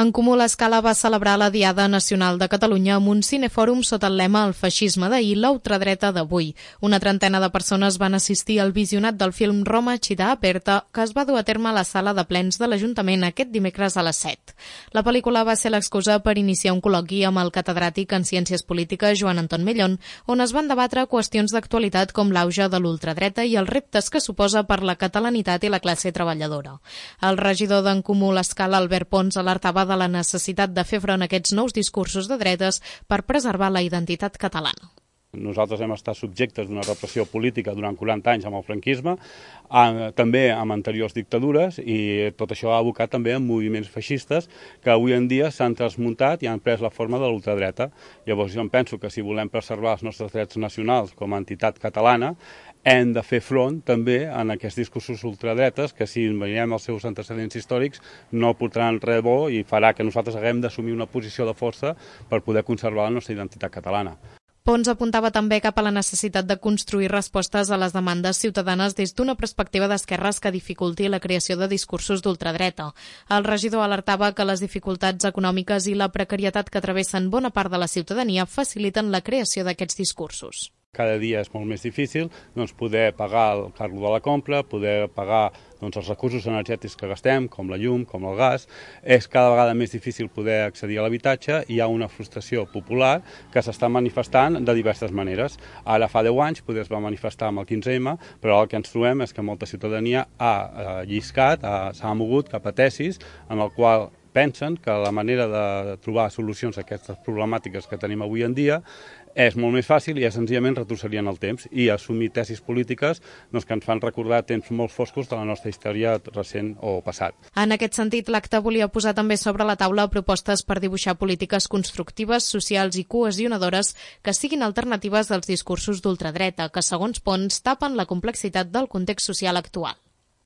En Comú l'Escala va celebrar la Diada Nacional de Catalunya amb un cinefòrum sota el lema "El feixisme d'ahir, la ultradreta d'avui". Una trentena de persones van assistir al visionat del film Roma Città Aperta, que es va dur a terme a la sala de plens de l'Ajuntament aquest dimecres a les 7. La pel·lícula va ser l'excusa per iniciar un col·loqui amb el catedràtic en Ciències Polítiques Joan Anton Mellón, on es van debatre qüestions d'actualitat com l'auge de l'ultradreta i els reptes que suposa per la catalanitat i la classe treballadora. El regidor d'en Comú l'Escala, Albert Pons, alertava de la necessitat de fer front a aquests nous discursos de dretes per preservar la identitat catalana. Nosaltres hem estat subjectes d'una repressió política durant 40 anys amb el franquisme, també amb anteriors dictadures, i tot això ha abocat també en moviments feixistes que avui en dia s'han transmuntat i han pres la forma de l'ultradreta. Llavors jo em penso que si volem preservar els nostres drets nacionals com a entitat catalana, hem de fer front també en aquests discursos ultradretes que, si veiem els seus antecedents històrics, no portaran res bo i farà que nosaltres haguem d'assumir una posició de força per poder conservar la nostra identitat catalana. Pons apuntava també cap a la necessitat de construir respostes a les demandes ciutadanes des d'una perspectiva d'esquerres que dificulti la creació de discursos d'ultradreta. El regidor alertava que les dificultats econòmiques i la precarietat que travessen bona part de la ciutadania faciliten la creació d'aquests discursos. Cada dia és molt més difícil poder pagar el carro de la compra, poder pagar els recursos energètics que gastem, com la llum, com el gas. És cada vegada més difícil poder accedir a l'habitatge i hi ha una frustració popular que s'està manifestant de diverses maneres. Ara fa 10 anys es va manifestar amb el 15M, però el que ens trobem és que molta ciutadania ha lliscat, s'ha mogut cap a tesis en el qual pensen que la manera de trobar solucions a aquestes problemàtiques que tenim avui en dia és molt més fàcil i és senzillament retrocedir en el temps i assumir tesis polítiques que ens fan recordar temps molt foscos de la nostra història recent o passat. En aquest sentit, l'acte volia posar també sobre la taula propostes per dibuixar polítiques constructives, socials i cohesionadores que siguin alternatives als discursos d'ultradreta, que, segons Pons, tapen la complexitat del context social actual.